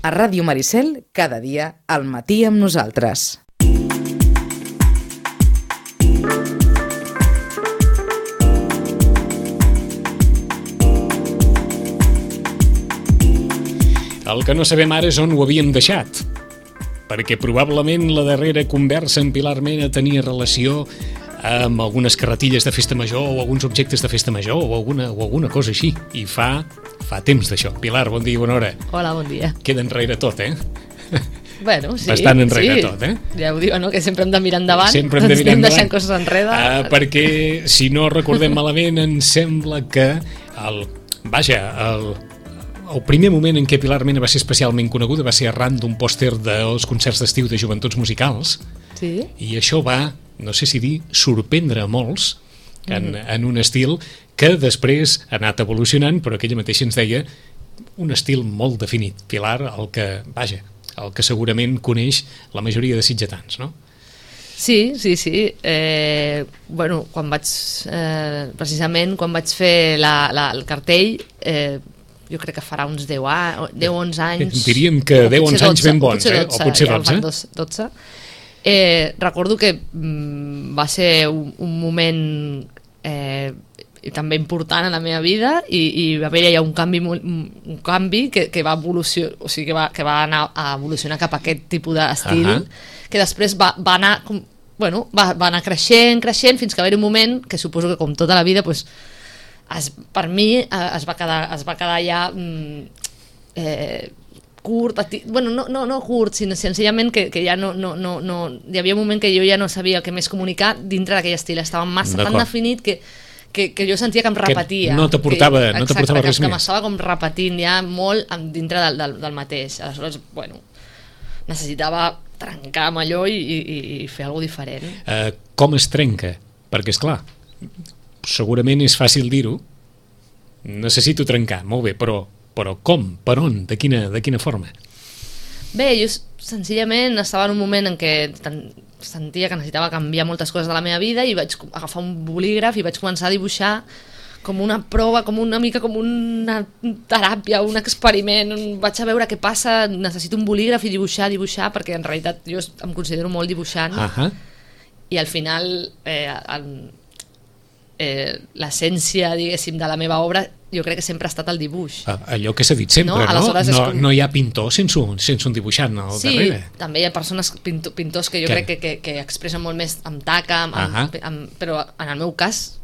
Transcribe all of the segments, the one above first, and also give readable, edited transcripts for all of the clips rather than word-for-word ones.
A Ràdio Maricel, cada dia al matí amb nosaltres. El que no sabem ara és on ho havíem deixat, perquè probablement la darrera conversa amb Pilar Mena tenia relació amb algunes carretilles de festa major o alguns objectes de festa major o alguna cosa així, i fa temps d'això. Pilar, bon dia i bona hora. Hola, bon dia. Queda enrere tot, Bueno, sí. Bastant enrere tot, Ja ho diu, no?, que sempre hem de mirar endavant. Sempre hem de mirar endavant. Deixant coses enrere. Perquè, si no recordem malament, em sembla que el primer moment en què Pilar Mena va ser especialment coneguda va ser arran d'un pòster dels concerts d'estiu de Joventuts Musicals. Sí. I això va, no sé si dir, sorprendre a molts en un estil que després ha anat evolucionant, però aquella mateixa ens deia un estil molt definit. Pilar, el que segurament coneix la majoria de sitgetans, no? Sí. Bueno, quan vaig precisament quan vaig fer el cartell, jo crec que farà uns 10-11 anys. Diríem que 10-11 anys ben bons, o potser 12. Recordo que va ser un moment també important en la meva vida, i va haver ja un canvi que va evolucionar, o sigui, que va anar a evolucionar cap a aquest tipus d'estil, que després va anar creixent fins que va haver un moment que suposo que, com tota la vida, pues, per mi es va quedar ja curt, no curt, sinó senzillament que ja no hi havia un moment que jo ja no sabia què més comunicar dintre d'aquell estil. Estava massa tan definit que jo sentia que em repetia, que no t'aportava res més, que m'estava com repetint ja molt dintre del mateix. Aleshores, bueno, necessitava trencar amb allò i fer alguna cosa diferent. Com es trenca? Perquè, esclar, segurament és fàcil dir-ho, necessito trencar, molt bé, però com? Per on? De quina forma? Bé, jo senzillament estava en un moment en què sentia que necessitava canviar moltes coses de la meva vida, i vaig agafar un bolígraf i vaig començar a dibuixar com una prova, una mica com una teràpia, un experiment. Vaig a veure què passa, necessito un bolígraf i dibuixar, perquè en realitat jo em considero molt dibuixant, i al final l'essència, diguéssim, de la meva obra jo crec que sempre ha estat el dibuix. Allò que s'ha dit sempre, no? No hi ha pintor sense un dibuixant al darrere. Sí, també hi ha persones, pintors que jo crec que expressen molt més amb taca, però en el meu cas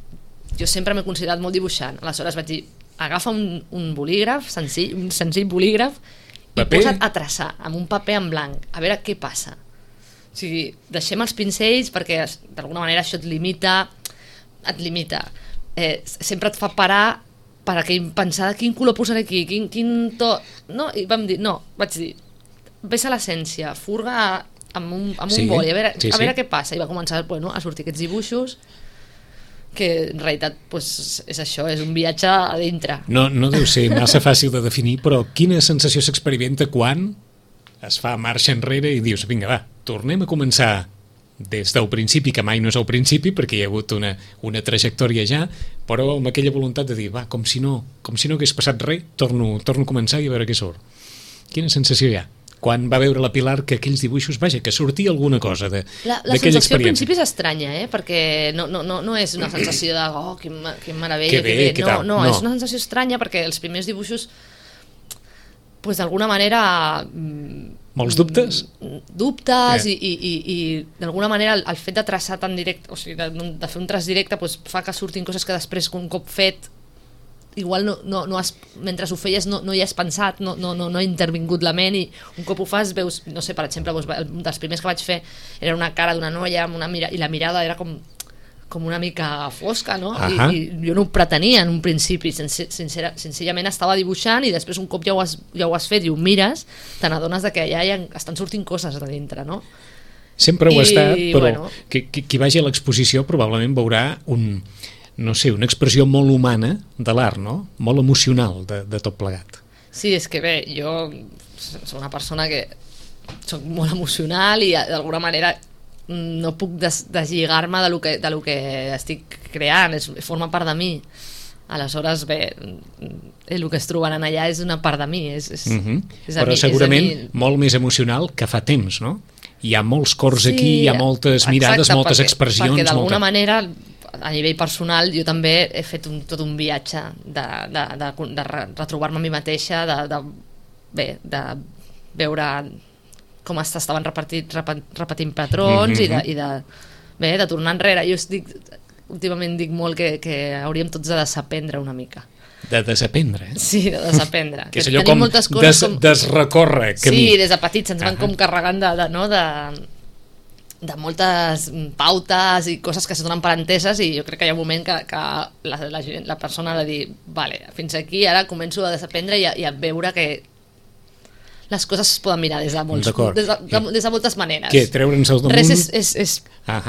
jo sempre m'he considerat molt dibuixant. Aleshores vaig dir, agafa un bolígraf senzill, un senzill bolígraf, i posa't a traçar amb un paper en blanc, a veure què passa. O sigui, deixem els pincells perquè d'alguna manera això et limita, sempre et fa parar per pensar quin color posaré aquí, quin to, no? I vam dir, vaig dir, ves a l'essència, furga amb un boli, a veure què passa, i va començar a sortir aquests dibuixos que en realitat és això, és un viatge a dintre. No deu ser massa fàcil de definir, però quina sensació s'experimenta quan es fa marxa enrere i dius, vinga, va, tornem a començar des del principi, que mai no és el principi perquè hi ha hagut una trajectòria ja, però amb aquella voluntat de dir, va, com si no hagués passat res, torno a començar i a veure què surt. Quina sensació hi ha quan va veure la Pilar que aquells dibuixos, que sortia alguna cosa d'aquella experiència? La sensació al principi és estranya, perquè no és una sensació de quin meravella, que bé. No, és una sensació estranya perquè els primers dibuixos, d'alguna manera, molts dubtes? Dubtes, i d'alguna manera el fet de traçar tan directe, o sigui, de fer un traç directe, fa que surtin coses que després, un cop fet, igual mentre ho feies no hi has pensat, no ha intervingut la ment, i un cop ho fas veus, no sé, per exemple, un dels primers que vaig fer era una cara d'una noia i la mirada era com una mica fosca, no? I jo no ho pretenia en un principi, senzillament estava dibuixant, i després un cop ja ho has fet i ho mires, te n'adones que ja estan sortint coses de dintre, no? Sempre ho ha estat, però qui vagi a l'exposició probablement veurà una expressió molt humana de l'art, no? Molt emocional de tot plegat. Sí, és que bé, jo soc una persona que soc molt emocional i d'alguna manera no puc deslligar-me de lo que estic creant, forma part de mi. Aleshores, bé, el que es trobaran allà és una part de mi. És Però segurament molt més emocional que fa temps, no? Hi ha molts cors aquí, hi ha moltes mirades, moltes expressions. Perquè d'alguna manera, a nivell personal, jo també he fet tot un viatge de retrobar-me a mi mateixa, de veure com estaven repetint patrons i de tornar enrere. Jo últimament dic molt que hauríem tots de desaprendre una mica. De desaprendre? Sí, de desaprendre. Que és allò com desrecórrer camí. Sí, des de petits ens van com carregant de moltes pautes i coses que se donen per enteses, i jo crec que hi ha un moment que la persona ha de dir vale, fins aquí, ara començo a desaprendre i a veure que les coses es poden mirar des de moltes maneres. Què? Treure'ns al damunt? Res és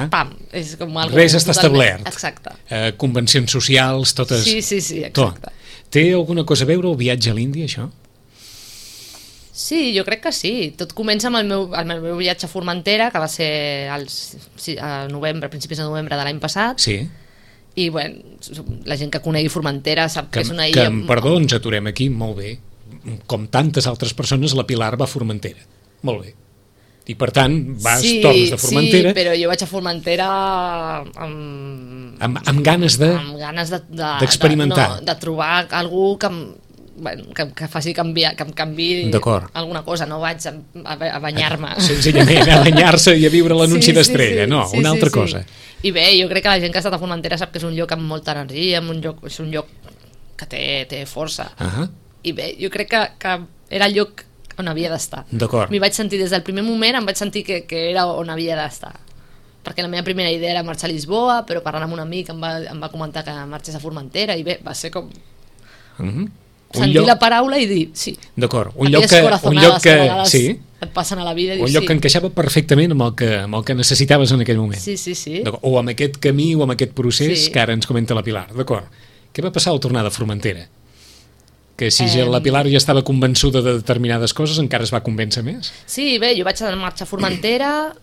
pam, és com algo res està establert. Exacte. Convencions socials, totes... Sí, exacte. Té alguna cosa a veure el viatge a l'Índia, això? Sí, jo crec que sí. Tot comença amb el meu viatge a Formentera, que va ser a principis de novembre de l'any passat. Sí. I, bueno, la gent que conegui Formentera sap que és una illa... Perdó, ens aturem aquí, molt bé. Com tantes altres persones, la Pilar va a Formentera. Molt bé. I per tant, tornes de Formentera... Sí, però jo vaig a Formentera amb ganes d'experimentar. De trobar algú que faci canviar, que em canviï alguna cosa. No vaig a banyar-me. Senzillament, a banyar-se i a viure l'anunci d'Estrella. No, una altra cosa. I bé, jo crec que la gent que ha estat a Formentera sap que és un lloc amb molta energia, és un lloc que té força. I bé, jo crec que era el lloc on havia d'estar. M'hi vaig sentir des del primer moment, em vaig sentir que era on havia d'estar. Perquè la meva primera idea era marxar a Lisboa, però parlant amb un amic em va comentar que marxés a Formentera, i bé, va ser com... sentir la paraula i dir sí. D'acord, un lloc que sí, et passen a la vida i un lloc que encaixava perfectament amb el que necessitaves en aquell moment. Sí. O amb aquest camí o amb aquest procés que ara ens comenta la Pilar. D'acord. Què va passar al tornar de Formentera? Que si la Pilar ja estava convençuda de determinades coses, encara es va convèncer més? Sí, bé, jo vaig marxar a Formentera,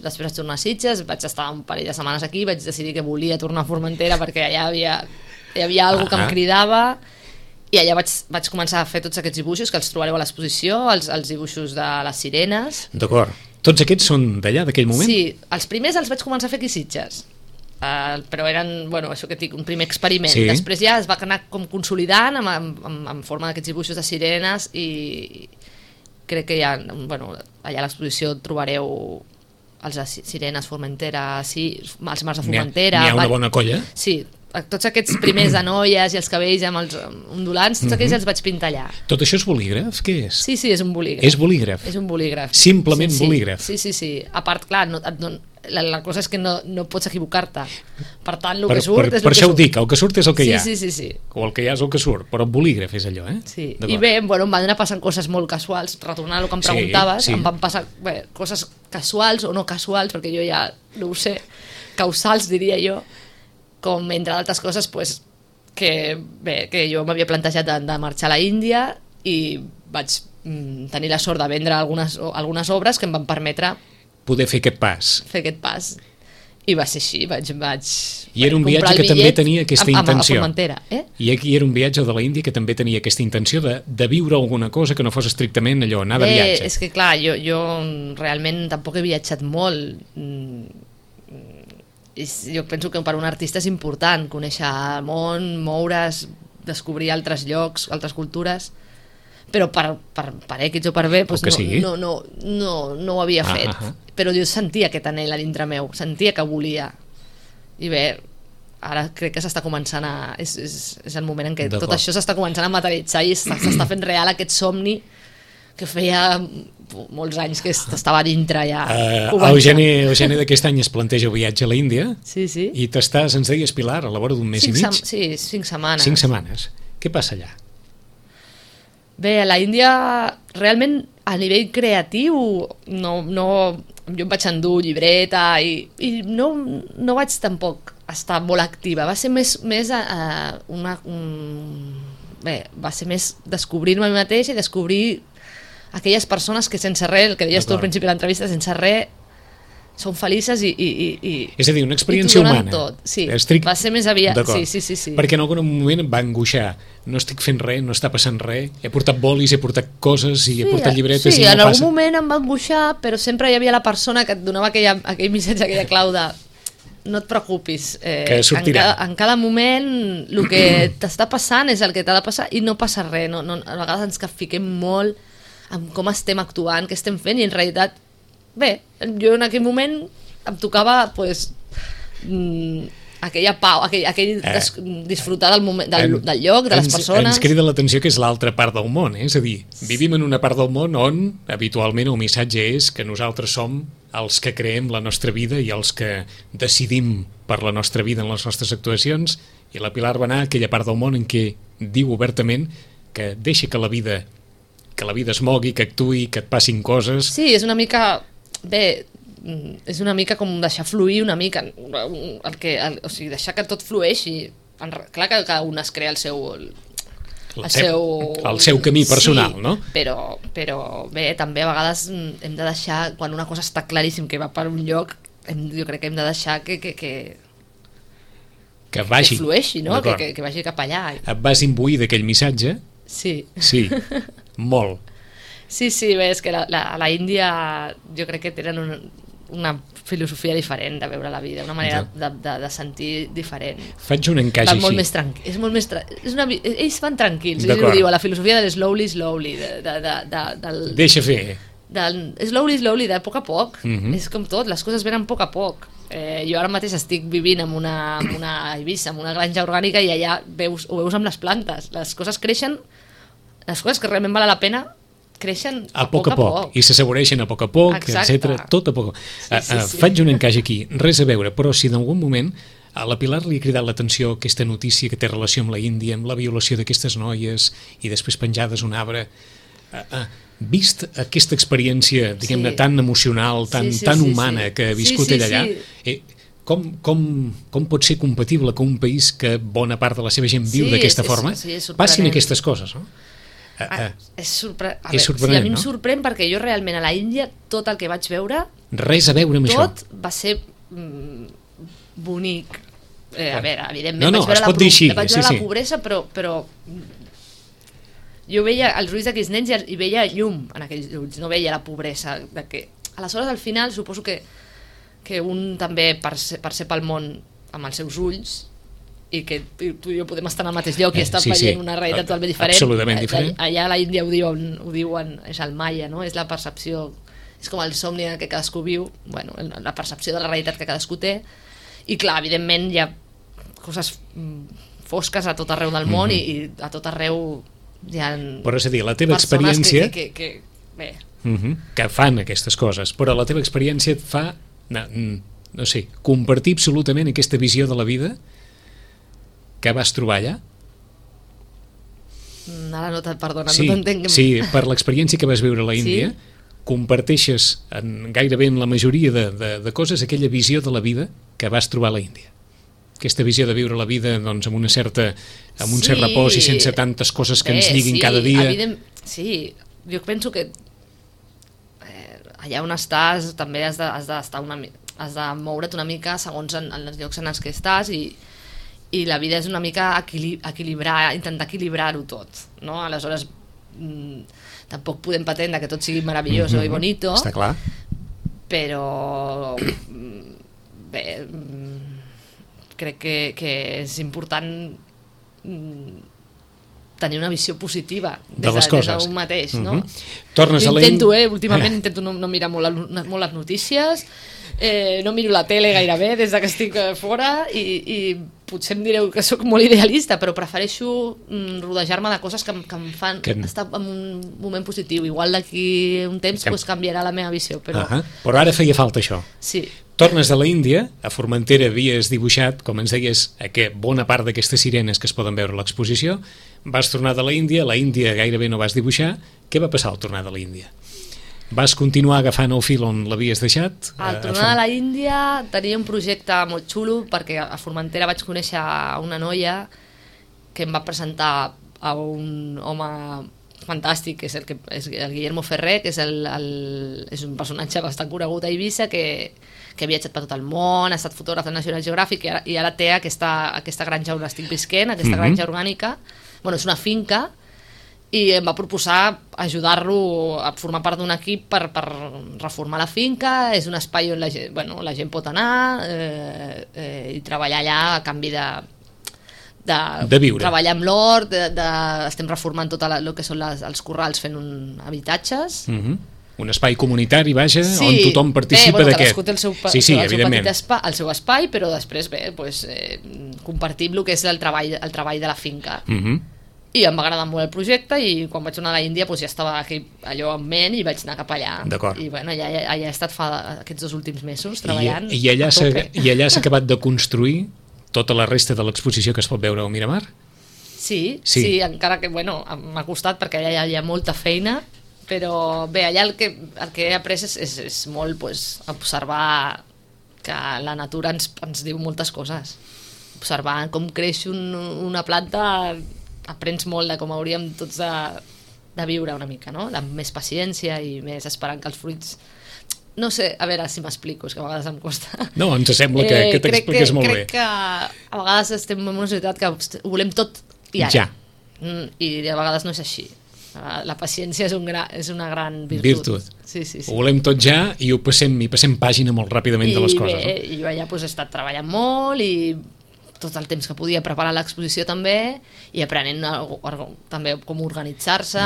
després vaig tornar a Sitges, vaig estar un parell de setmanes aquí, vaig decidir que volia tornar a Formentera perquè allà hi havia alguna que em cridava, i allà vaig començar a fer tots aquests dibuixos que els trobareu a l'exposició, els dibuixos de les sirenes. D'acord. Tots aquests són d'allà, d'aquell moment? Sí, els primers els vaig començar a fer aquí a Sitges. Però eren, això que dic, un primer experiment. Després ja es va anar com consolidant en forma d'aquests dibuixos de sirenes, i crec que ja, allà a l'exposició trobareu els de sirenes, Formentera, els mars de Formentera. N'hi ha una bona colla? Sí, tots aquests primers de noies i els cabells amb els ondulants, tots aquells els vaig pintar allà. Tot això és bolígraf? Què és? Sí, és un bolígraf. És bolígraf? És un bolígraf. Simplement bolígraf? Sí. A part, clar, la cosa és que no pots equivocar-te. Per tant, el que surt és el que surt. Per això ho dic, el que surt és el que hi ha. Sí. O el que hi ha és el que surt, però el bolígraf és allò, Sí, i bé, em van anar passant coses molt casuals, retornant al que em preguntaves, em van passar coses casuals o no casuals, perquè jo ja no ho sé, causals diria jo, com entre altres coses que jo m'havia plantejat de marxar a la Índia, i vaig tenir la sort de vendre algunes obres que em van permetre poder fer aquest pas. I va ser així, vaig I era un viatge que també tenia aquesta intenció. A Formentera, I aquí era un viatge de la Índia que també tenia aquesta intenció de viure alguna cosa que no fos estrictament allò, anar de viatge. És que clar, jo realment tampoc he viatjat molt. Jo penso que per un artista és important conèixer el món, moure's, descobrir altres llocs, altres cultures, però per X o per B no ho havia fet. Però jo sentia aquest anhel a dintre meu, sentia que volia, i bé, ara crec que s'està començant és el moment en què tot això s'està començant a materialitzar i s'està fent real aquest somni que feia molts anys que estava dintre ja. El gener d'aquest any es planteja el viatge a l'Índia. Sí. I t'estàs, ens deies, Pilar, a la vora d'un mes i mig? Sí, 5 setmanes. 5 setmanes. Què passa allà? Bé, a la Índia realment a nivell creatiu jo em vaig endur llibreta i no vaig tampoc estar molt activa. Va ser més va ser més descobrir-me a mi mateix i descobrir aquelles persones que sense res, el que deies tu al principi de l'entrevista, sense res són felices i És a dir, una experiència i t'ho donen humana. tot. Sí, Estic... va ser més aviat. D'acord. Sí. Perquè en algun moment em va angoixar. No estic fent res, no està passant res. He portat bolis, he portat coses i he portat llibretes i no en passa. algun moment em va angoixar, però sempre hi havia la persona que et donava aquell missatge, aquella clau de no et preocupis, que sortirà. En cada moment el que t'està passant és el que t'ha de passar i no passa res. A vegades ens fiquem molt en com estem actuant, què estem fent, i en realitat, bé, jo en aquell moment em tocava pues, aquella pau, disfrutar del moment, del lloc, de les persones. Ens crida l'atenció que és l'altra part del món, és a dir, vivim en una part del món on habitualment el missatge és que nosaltres som els que creem la nostra vida i els que decidim per la nostra vida en les nostres actuacions, i la Pilar va anar a aquella part del món en què diu obertament que deixa que la vida es mogui, que actuï, que et passin coses. Sí, és una mica... Bé, és una mica com deixar fluir una mica, o sigui, deixar que tot flueixi. Clar que cada un es crea el seu camí personal, sí, no? Però bé, també a vegades hem de deixar, quan una cosa està claríssim que va per un lloc, jo crec que hem de deixar que vagi, que flueixi, no? Que vagi cap allà. Et vas imbuir d'aquell missatge? Sí, molt. Sí, bé, és que la Índia jo crec que tenen una filosofia diferent de veure la vida, una manera de sentir diferent. Faig un encaix així. Molt més ells van tranquils, ells ho diuen, la filosofia de slowly, deixa fer. Slowly, de poc a poc. És com tot, les coses venen a poc a poc. Jo ara mateix estic vivint en una Eivissa, en una granja orgànica, i allà ho veus amb les plantes. Les coses creixen, les coses que realment valen la pena creixen a poc a poc. I s'assaboreixen a poc a poc, etc. Tot a poc. Faig un encaix aquí, res a veure, però si d'algun moment a la Pilar li ha cridat l'atenció aquesta notícia que té relació amb la Índia, amb la violació d'aquestes noies i després penjades un arbre, vist aquesta experiència, diguem-ne, tan emocional, tan humana que ha viscut ella allà, com pot ser compatible que un país que bona part de la seva gent viu d'aquesta forma passin aquestes coses, no? És sorprenent, a mi em sorprèn perquè jo realment a la Índia tot el que vaig veure, res a veure amb això, tot va ser bonic. A veure, evidentment vaig veure la pobresa, però jo veia els ulls d'aquells nens i veia llum en aquells ulls, no veia la pobresa. Aleshores, al final, suposo que un també per ser pel món amb els seus ulls, i que tu i jo podem estar en el mateix lloc i estar veient una realitat totalment diferent. Absolutament diferent. Allà a la Índia ho diuen, és el Maya, no? És la percepció, és com el somni que cadascú viu, bueno, la percepció de la realitat que cadascú té, i clar, evidentment hi ha coses fosques a tot arreu del món i a tot arreu hi ha... Però és a dir, la teva experiència... Bé. Que fan aquestes coses, però la teva experiència et fa, no sé, compartir absolutament aquesta visió de la vida que vas trobar allà? Ara no t'entenc. Sí, per l'experiència que vas viure a la Índia, comparteixes gairebé en la majoria de coses aquella visió de la vida que vas trobar a la Índia. Aquesta visió de viure la vida amb un cert repòs i sense tantes coses que ens lliguin cada dia. Sí, jo penso que allà on estàs també has de moure't una mica segons en els llocs en els que estàs, i la vida és una mica intentar equilibrar-ho tot, no? Aleshores tampoc podem pretendre que tot sigui meravelloso i bonito, està clar, però bé, crec que és important tenir una visió positiva de les coses d'un mateix, no? Tornes a la Índia... Últimament intento no mirar molt les notícies, no miro la tele gairebé des que estic fora, i potser em direu que sóc molt idealista, però prefereixo rodejar-me de coses que em fan estar en un moment positiu. Igual d'aquí un temps canviarà la meva visió, però ara feia falta això. Sí. Tornes de la Índia, a Formentera havies dibuixat, com ens deies, bona part d'aquestes sirenes que es poden veure a l'exposició, vas tornar de la Índia gairebé no vas dibuixar. Què va passar al tornar de la Índia? Vas continuar agafant el fil on l'havies deixat? Al tornar de la Índia tenia un projecte molt xulo, perquè a Formentera vaig conèixer una noia que em va presentar a un home fantàstic, que és és el Guillermo Ferrer, que és és un personatge bastant conegut a Eivissa, que ha viatjat per tot el món, ha estat fotògraf de National Geographic i ara té aquesta granja on estic visquent, aquesta granja orgànica. Bueno, és una finca, i em va proposar ajudar-lo a formar part d'un equip per reformar la finca. És un espai on la gent pot anar i treballar allà a canvi de viure. Treballar amb l'hort, estem reformant tot el que són els corrals, fent habitatges. Un espai comunitari, vaja, on tothom participa d'aquest. Cadascú té el seu espai, però després compartim el que és el treball de la finca. I em va agradar molt el projecte, i quan vaig tornar a l'Índia ja estava aquí, allò en ment, i vaig anar cap allà. I allà he estat aquests 2 últims mesos treballant. I allà s'ha acabat de construir tota la resta de l'exposició que es pot veure al Miramar? Sí, encara que m'ha costat, perquè allà hi ha molta feina, però bé, allà el que he après és molt observar que la natura ens diu moltes coses. Observar com creix una planta, aprens molt de com hauríem tots de viure una mica, no? Amb més paciència i més esperant que els fruits... No sé, a veure si m'explico, és que a vegades em costa. No, ens sembla que t'expliques molt bé. Crec que a vegades estem en una societat que ho volem tot i ara. I a vegades no és així. La paciència és una gran virtut. Sí. Ho volem tot ja i passem pàgina molt ràpidament de les coses. I jo allà he estat treballant molt, i tot el temps que podia preparar l'exposició també, i aprenent també com organitzar-se.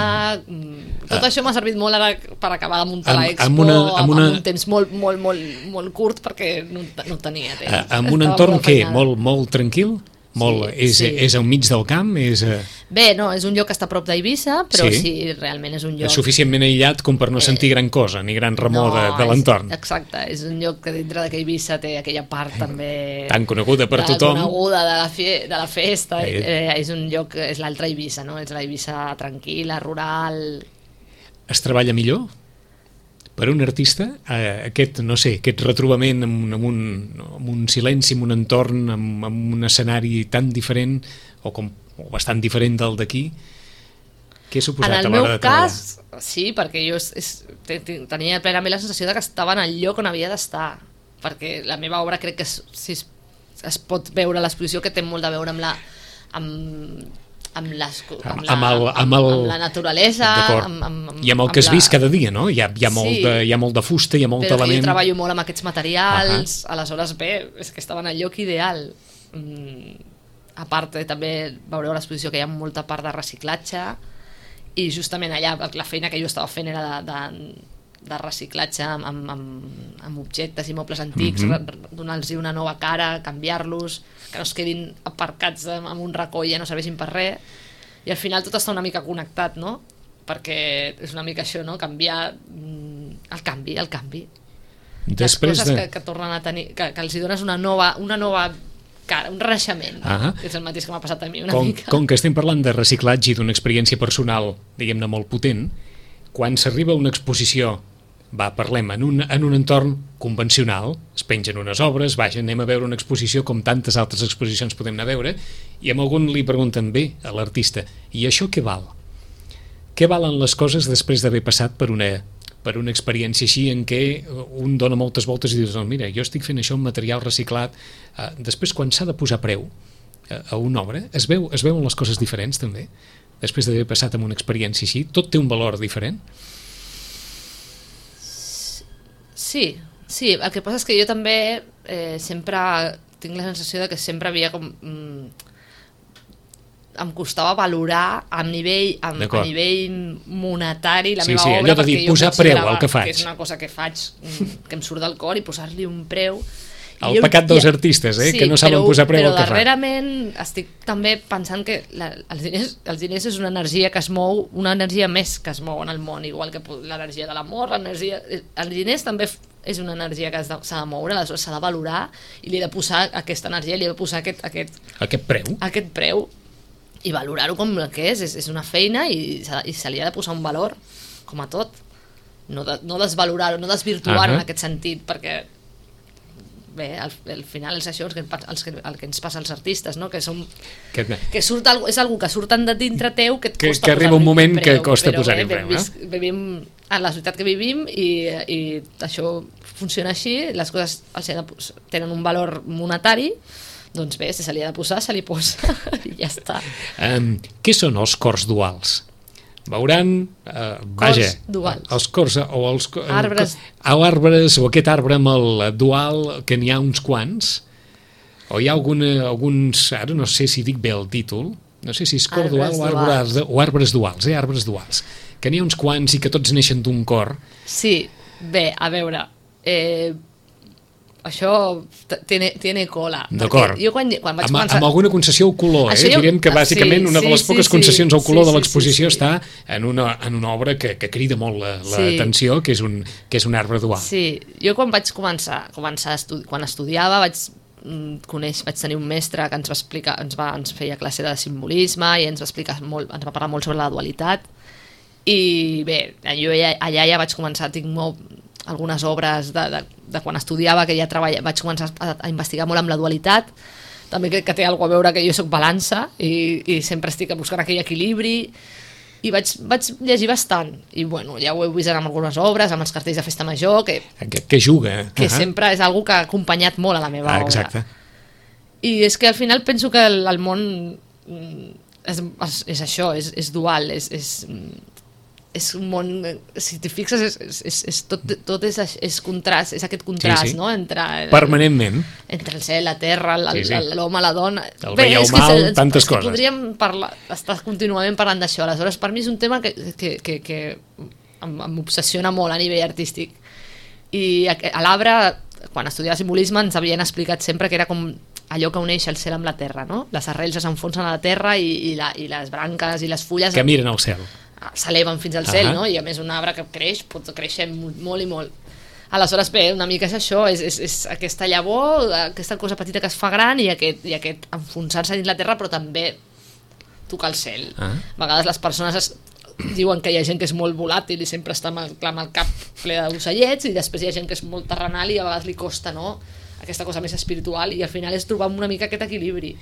Tot això m'ha servit molt ara per acabar de muntar l'expo amb un temps molt curt, perquè no tenia temps. Amb un entorn molt tranquil? És al mig del camp? Bé, no, és un lloc que està a prop d'Eivissa, però sí, realment és un lloc... És suficientment aïllat com per no sentir gran cosa, ni gran remor de l'entorn. Exacte, és un lloc que dintre d'Eivissa té aquella part també... Tan coneguda per tothom. Coneguda de la festa. És un lloc, és l'altra Eivissa, no? És la Eivissa tranquil·la, rural... Es treballa millor? Per un artista, aquest retrobament amb un silenci, amb un entorn, amb un escenari tan diferent o bastant diferent del d'aquí, què ha suposat a l'hora de treballar? En el meu cas, sí, perquè jo tenia plenament la sensació que estava en el lloc on havia d'estar, perquè la meva obra crec que es pot veure a l'exposició, que té molt a veure amb la naturalesa, i amb el que has vist cada dia, no? Hi ha molt de fusta, hi ha molt element... Però jo treballo molt amb aquests materials, aleshores bé, és que estava en el lloc ideal. A part, també veureu a l'exposició que hi ha molta part de reciclatge, i justament allà la feina que jo estava fent era de reciclatge amb objectes i mobles antics, donar-los una nova cara, canviar-los, que no es quedin aparcats en un racó i ja no serveixin per res, i al final tot està una mica connectat, no? Perquè és una mica això, no? Canviar el canvi. Les coses que tornen a tenir, que els hi dones una nova cara, un renaixement, que és el mateix que m'ha passat a mi una mica. Com que estem parlant de reciclatge i d'una experiència personal, diguem-ne, molt potent, quan s'arriba a una exposició, parlem en un entorn convencional, es pengen unes obres, anem a veure una exposició com tantes altres exposicions podem anar a veure, i amb algun li pregunten bé a l'artista, i això què val? Què valen les coses després d'haver passat per una experiència així en què un dona moltes voltes i dius, no, mira, jo estic fent això amb material reciclat. Després, quan s'ha de posar preu a una obra, es veuen les coses diferents també? Després d'haver passat amb una experiència així, tot té un valor diferent? Sí, el que passa és que jo també sempre tinc la sensació de que sempre havia com... em costava valorar a nivell monetari la meva obra, allò de dir, posar preu al que faig, que és una cosa que faig, que em surt del cor, i posar-li un preu. El pecat dels artistes, que no saben posar preu al que fan. Però darrerament estic també pensant que els diners és una energia que es mou, una energia més que es mou en el món, igual que l'energia de l'amor, els diners també és una energia que s'ha de moure, aleshores s'ha de valorar, i li he de posar aquesta energia, li he de posar aquest preu, i valorar-ho com el que és una feina, i se li ha de posar un valor, com a tot, no desvalorar-ho, no desvirtuar-ho en aquest sentit, perquè bé, al final és això el que ens passa als artistes, no? Que és algú que surten de dintre teu que et costa que arriba un moment que costa posar-hi preu, no? Vivim a la societat que vivim i això funciona així, les coses tenen un valor monetari, doncs bé, si se li ha de posar, se li posa i ja està. Què són els cors duals? Veuran, duals. Els cors o els arbres. Arbres o aquest arbre amb el dual, que n'hi ha uns quants, o hi ha alguns, ara no sé si dic bé el títol, no sé si és cor dual o arbres duals, arbres duals, que n'hi ha uns quants i que tots neixen d'un cor. Sí, bé, a veure, això tiene cola. D'acord. Jo quan vaig començar... Amb alguna concessió al color, direm que bàsicament una de les poques concessions al color de l'exposició està en una obra que crida molt l'atenció, que és un arbre dual. Sí, jo quan vaig començar quan estudiava vaig tenir un mestre que ens feia classe de simbolisme i ens va parlar molt sobre la dualitat, i bé, jo allà ja vaig començar, algunes obres de quan estudiava, que ja vaig començar a investigar molt amb la dualitat, també que té alguna a veure que jo soc balança i sempre estic buscant aquell equilibri, i vaig llegir bastant, i bueno, ja ho he vist amb algunes obres, amb els cartells de festa major, que juga, que sempre és algo que ha acompanyat molt a la meva obra. Exacte. I és que al final penso que el món és això, és dual, és un món, si t'hi fixes, tot és contrast, és aquest contrast, sí. No? Permanentment. Entre el cel, la terra, l'home, la dona... El bé i el mal, tantes coses. Podríem estar contínuament parlant d'això. Aleshores, per mi és un tema que m'obsessiona molt a nivell artístic. I a l'Arbre, quan estudiava simbolisme, ens havien explicat sempre que era com allò que uneix el cel amb la terra, no? Les arrels s'enfonsen a la terra i les branques i les fulles... Que miren al cel. S'eleven fins al cel, no? I a més un arbre que creix pot créixer molt i molt. Aleshores, bé, una mica és això, és aquesta llavor, aquesta cosa petita que es fa gran i aquest enfonsar-se dins la terra, però també tocar el cel. A vegades les persones diuen que hi ha gent que és molt volàtil i sempre està amb el cap ple d'ocellets, i després hi ha gent que és molt terrenal i a vegades li costa, no?, aquesta cosa més espiritual, i al final és trobar una mica aquest equilibri,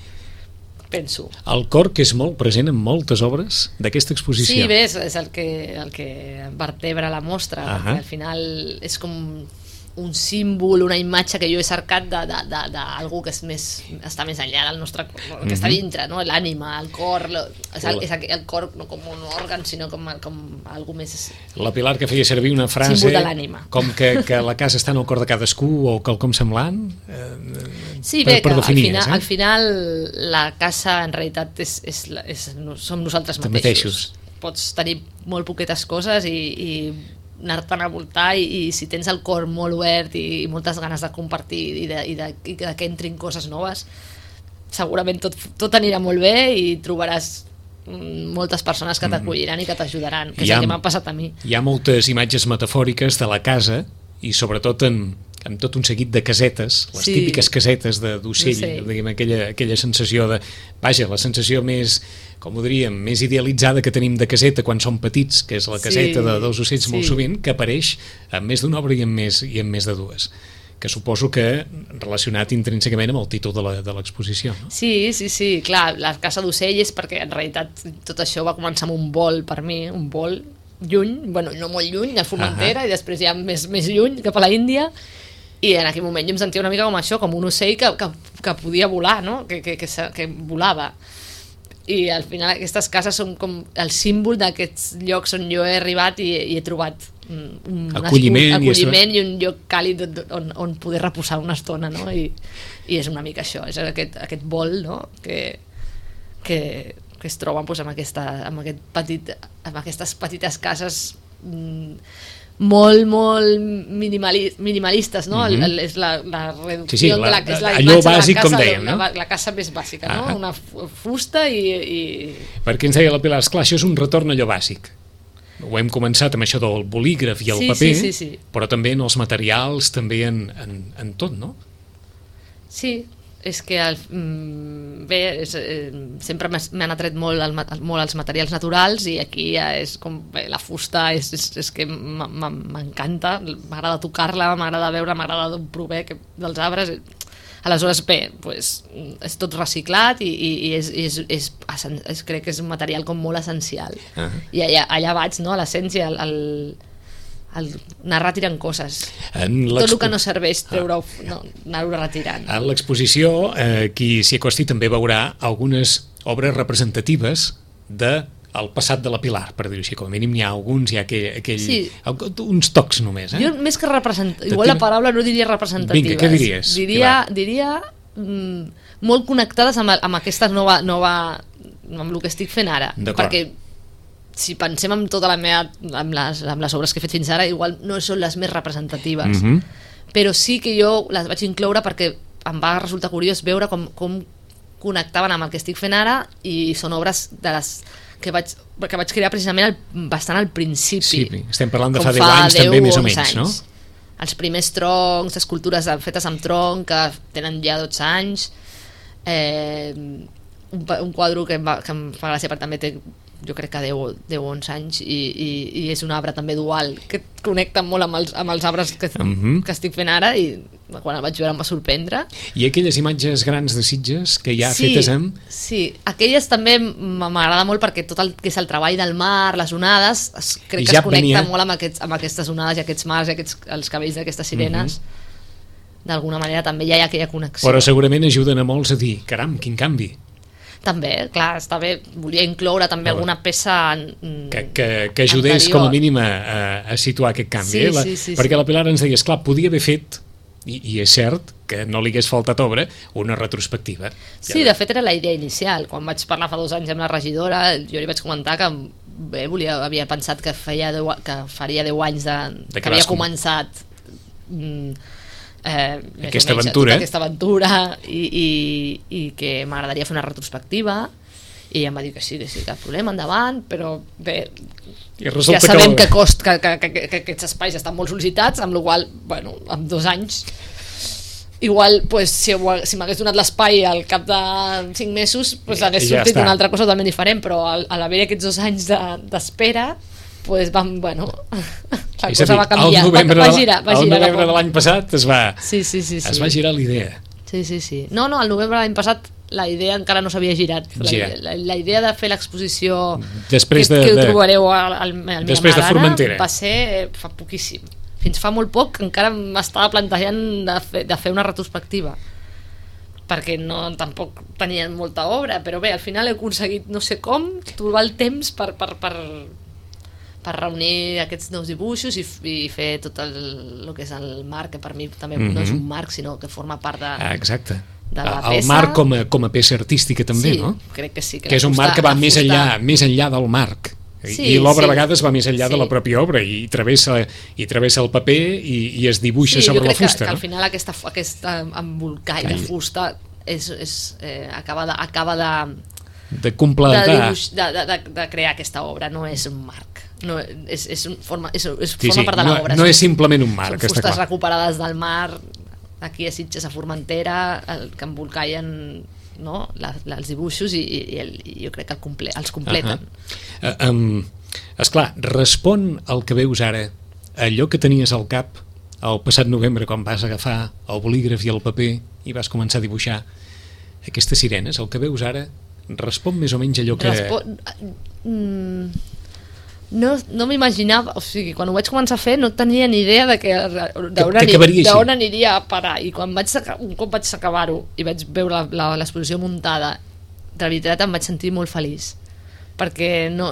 penso. El cor, que és molt present en moltes obres d'aquesta exposició. Sí, bé, és el que vertebra la mostra, perquè al final és com un símbol, una imatge que jo he cercat d'algú que està més enllà del nostre cor, que està dintre, no? L'ànima, el cor, és el cor no com un òrgan, sinó com algú més... La Pilar, que feia servir una frase símbol de l'ànima, com que la casa està en el cor de cadascú o quelcom semblant, sí, bé, que al final la casa en realitat som nosaltres mateixos. Pots tenir molt poquetes coses i anar-te'n a voltar, i si tens el cor molt obert i moltes ganes de compartir i que entrin coses noves, segurament tot anirà molt bé i trobaràs moltes persones que t'acolliran i que t'ajudaran, que és el que m'ha passat a mi. Hi ha moltes imatges metafòriques de la casa, i sobretot amb tot un seguit de casetes, les típiques casetes d'ocell, diguem, aquella sensació de... Vaja, la sensació més, com ho diríem, més idealitzada que tenim de caseta quan som petits, que és la caseta dels ocells molt sovint, que apareix en més d'una obra i en més de dues, que suposo que relacionat intrínsecament amb el títol de l'exposició, no? Sí, clar, la casa d'ocell és perquè en realitat tot això va començar amb un vol, per mi, un vol lluny, bueno, no molt lluny, a Formentera, i després ja més lluny, cap a la Índia, i en aquell moment jo em sentia una mica com això, com un ocell que podia volar, no? Que volava. I al final aquestes cases són com el símbol d'aquests llocs on jo he arribat i he trobat un acolliment i un lloc càlid on poder reposar una estona, no? I és una mica això, és aquest vol, no? que es troben doncs, amb aquestes petites cases molt minimalistes, no? És la reducció de la allò bàsic, com dèiem, no? La casa més bàsica, no? Una fusta i... Perquè ens deia la Pilar, esclar, això és un retorn a allò bàsic. Ho hem començat amb això del bolígraf i el paper, però també en els materials, també en tot, no? Sí, és que bé, sempre m'han atret molt, molt els materials naturals i aquí ja és com bé, la fusta és que m'encanta, m'agrada tocar-la, m'agrada veure, m'agrada d'on prové dels arbres. Aleshores bé, pues, és tot reciclat i crec que és un material com molt essencial. I allà vaig, no? A l'essència, el anar retirant coses, tot el que no serveix anar-ho retirant. A l'exposició qui s'hi acosti també veurà algunes obres representatives del passat de la Pilar, per dir-ho així, com a mínim hi ha alguns, hi ha uns tocs només. Jo més que igual la paraula no diria representatives. Vinga, què diries? Diria molt connectades amb aquesta nova amb el que estic fent ara, perquè si pensem en tota la meva amb les obres que he fet fins ara, igual no són les més representatives, però sí que jo les vaig incloure perquè em va resultar curiós veure com connectaven amb el que estic fent ara, i són obres de les que vaig crear precisament bastant al principi. Sí, estem parlant de fa 10 anys també, més o menys, no? Els primers troncs, escultures fetes amb tronc que tenen ja 12 anys, un quadre que em fa gràcia perquè també té, jo crec que 10 o 11 anys, i és un arbre també dual que connecta molt amb els arbres que estic fent ara, i quan el vaig veure em va sorprendre. I aquelles imatges grans de Sitges que ja fetes amb... Sí, aquelles també m'agrada molt perquè tot el que és el treball del mar, les onades, crec que es connecta molt amb aquestes onades i aquests mars i els cabells d'aquestes sirenes. D'alguna manera també ja hi ha aquella connexió. Però segurament ajuden a molts a dir, caram, quin canvi. També, clar, està bé. Volia incloure també alguna peça que ajudés com a mínim a situar aquest canvi. Perquè la Pilar ens deia, esclar, podia haver fet, i és cert que no li hagués faltat obra, una retrospectiva. Sí, de fet era la idea inicial. Quan vaig parlar fa 2 anys amb la regidora, jo li vaig comentar que bé, havia pensat que faria 10 anys que havia començat aquesta aventura, i que m'agradaria fer una retrospectiva, i em va dir que sí, cap problema, endavant, però bé, ja sabem que aquests espais estan molt sol·licitats, amb la qual cosa, bueno, en 2 anys igual, pues, si m'hagués donat l'espai al cap de 5 mesos, pues, hagués sortit una altra cosa totalment diferent, però a l'haver aquests 2 anys d'espera, pues la cosa va canviar, va girar. El novembre de l'any passat es va girar l'idea. Sí. No, al novembre de l'any passat la idea encara no s'havia girat. La idea de fer l'exposició que ho trobareu al després de Formentera va ser fa poquíssim. Fins fa molt poc encara m'estava plantejant de fer una retrospectiva, perquè tampoc tenien molta obra, però bé, al final he aconseguit, no sé com, trobar el temps per reunir aquests nous dibuixos i fer tot el que és el marc, que per mi també no és un marc, sinó que forma part de la peça. El marc com a peça artística també, no? Crec que sí. Que és un marc que va més enllà del marc. I l'obra a vegades va més enllà de la pròpia obra i travessa el paper i es dibuixa sobre la fusta. Sí, jo crec que al final aquest embolcall de fusta acaba de completar, de crear aquesta obra, no és un marc, forma part de l'obra. No és simplement un marc. Són fustes recuperades del mar, aquí a Sitges, a Formentera, que embolcallen, no, els dibuixos, i jo crec que els completen. Esclar, respon al que veus ara allò que tenies al cap el passat novembre quan vas agafar el bolígraf i el paper i vas començar a dibuixar aquestes sirenes. El que veus ara respon més o menys allò que... No m'imaginava, o sigui, quan ho vaig començar a fer no tenia ni idea d'on aniria a parar, i un cop vaig acabar-ho i vaig veure l'exposició muntada, de veritat em vaig sentir molt feliç, perquè no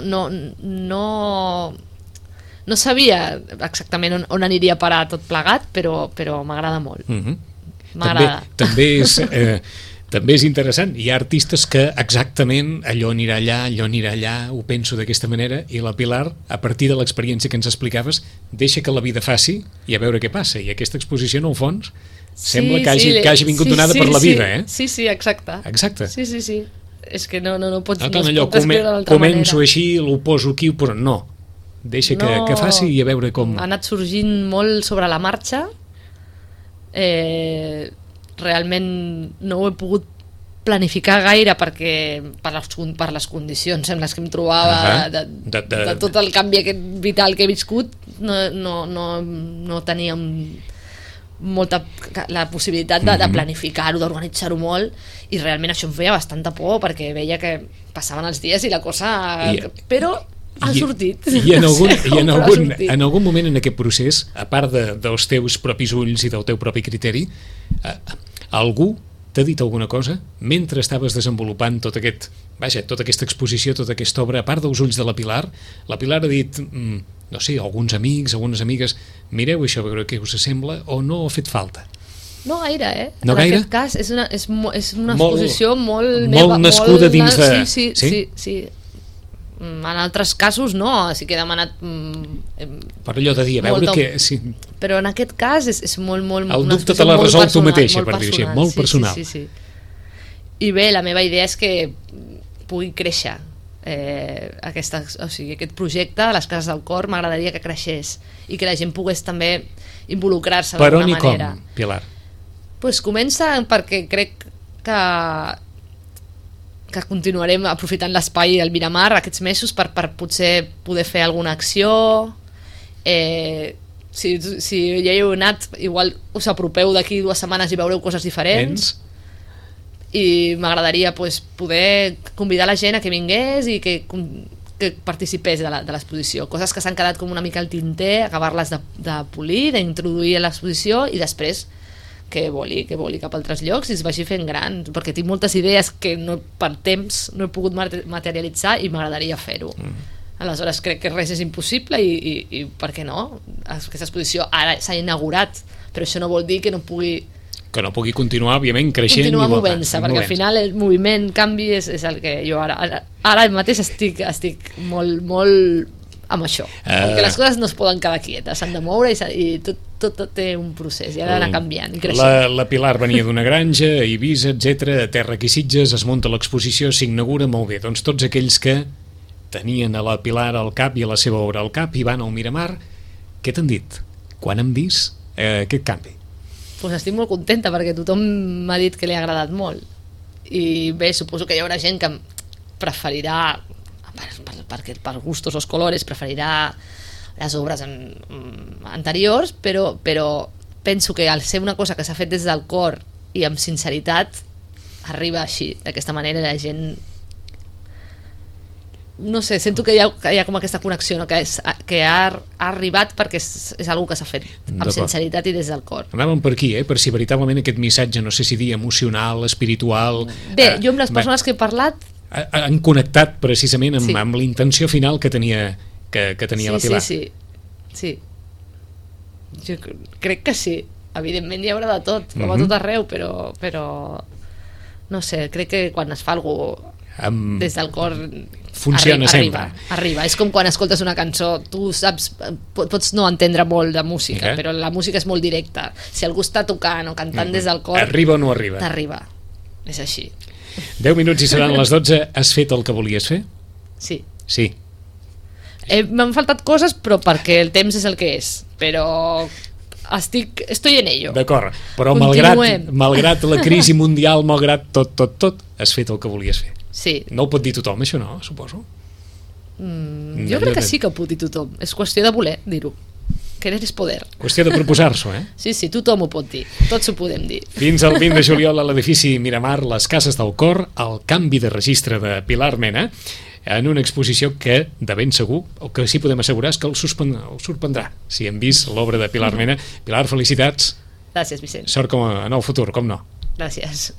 sabia exactament on aniria a parar tot plegat, però m'agrada molt. M'agrada. També és interessant, hi ha artistes que exactament allò anirà allà, ho penso d'aquesta manera, i la Pilar, a partir de l'experiència que ens explicaves, deixa que la vida faci i a veure què passa, i aquesta exposició en el fons sembla que hagi vingut donada per la vida, eh? Sí, exacte. Sí. És que no pots descriure d'altra manera. Començo així, ho poso aquí, però no, deixa que faci i a veure com... Ha anat sorgint molt sobre la marxa, realment no ho he pogut planificar gaire perquè per les condicions en les que em trobava de tot el canvi aquest vital que he viscut no tenia molta la possibilitat de planificar-ho, d'organitzar-ho molt, i realment això em feia bastanta por perquè veia que passaven els dies i la cosa... Però ha sortit. I en algun moment en aquest procés, a part dels teus propis ulls i del teu propi criteri, algú t'ha dit alguna cosa mentre estaves desenvolupant tota aquesta exposició, tota aquesta obra, a part dels ulls de la Pilar ha dit, no sé, alguns amics, algunes amigues, mireu això, a veure què us sembla, o no ha fet falta? No gaire, No gaire? En aquest cas és una exposició molt nascuda dins de... Sí. En altres casos no, sí que he demanat per allò de dir, a veure què... Sí. Però en aquest cas és molt el dubte te l'ha resolt tu mateixa, per dir-ho així, molt personal. Sí. I bé, la meva idea és que pugui créixer aquest projecte, les Cases del Cor, m'agradaria que creixés i que la gent pogués també involucrar-se d'alguna manera. Per on i com, Pilar? Pues comença perquè crec que continuarem aprofitant l'espai del Miramar aquests mesos per potser poder fer alguna acció. Si ja hi heu anat, igual us apropeu d'aquí 2 setmanes i veureu coses diferents. I m'agradaria poder convidar la gent a que vingués i que participés de l'exposició. Coses que s'han quedat com una mica al tinter, acabar-les de polir, d'introduir a l'exposició i després que voli cap a altres llocs i es vagi fent gran, perquè tinc moltes idees que per temps no he pogut materialitzar i m'agradaria fer-ho. Aleshores crec que res és impossible i per què no? Aquesta exposició ara s'ha inaugurat, però això no vol dir que no pugui continuar, òbviament, creixent. Continuar movent-se, perquè al final el moviment, canvi, és el que jo ara mateix estic molt amb això, perquè les coses no es poden quedar quietes, s'han de moure i tot té un procés i ha d'anar canviant i creixent. La Pilar venia d'una granja a Eivissa, etc, a terra aquí Sitges, es munta l'exposició, s'inaugura, molt bé, doncs tots aquells que tenien a la Pilar al cap i a la seva obra al cap i van al Miramar, què t'han dit? Quan han vist aquest canvi? Pues estic molt contenta perquè tothom m'ha dit que li ha agradat molt i bé, suposo que hi haurà gent que preferirà per gustos o colores preferirà les obres anteriors, però penso que al ser una cosa que s'ha fet des del cor i amb sinceritat arriba així, d'aquesta manera la gent no sé, sento que hi ha com aquesta connexió, no? que ha arribat perquè és una que s'ha fet amb sinceritat i des del cor. Anàvem per aquí, per si veritablement aquest missatge, no sé si dir emocional, espiritual... Bé, jo amb les persones que he parlat han connectat precisament amb la intenció final que tenia la Pilar. Sí. Jo crec que sí. Evidentment hi haurà de tot, com a tot arreu, però no sé, crec que quan es fa alguna des del cor funciona sempre. Arriba. És com quan escoltes una cançó, tu saps, pots no entendre molt de música, però la música és molt directa. Si algú està tocant o cantant des del cor... Arriba o no arriba? T'arriba. És així. 10 minuts i seran les 12. Has fet el que volies fer? Sí. M'han faltat coses, però perquè el temps és el que és. Però estoy en ello. D'acord, però malgrat la crisi mundial, malgrat tot, has fet el que volies fer. Sí. No ho pot dir tothom, això, no? Suposo. Jo crec que sí que ho pot dir tothom. És qüestió de voler dir-ho. Querer és poder. Qüestió de proposar-s'ho, Sí, tothom ho pot dir. Tots ho podem dir. Fins al 20 de juliol a l'edifici Miramar, les Cases del Cor, el canvi de registre de Pilar Mena, en una exposició que, de ben segur, el que sí podem assegurar és que el sorprendrà. Si hem vist l'obra de Pilar Mena. Pilar, felicitats. Gràcies, Vicent. Sort en el futur, com no. Gràcies.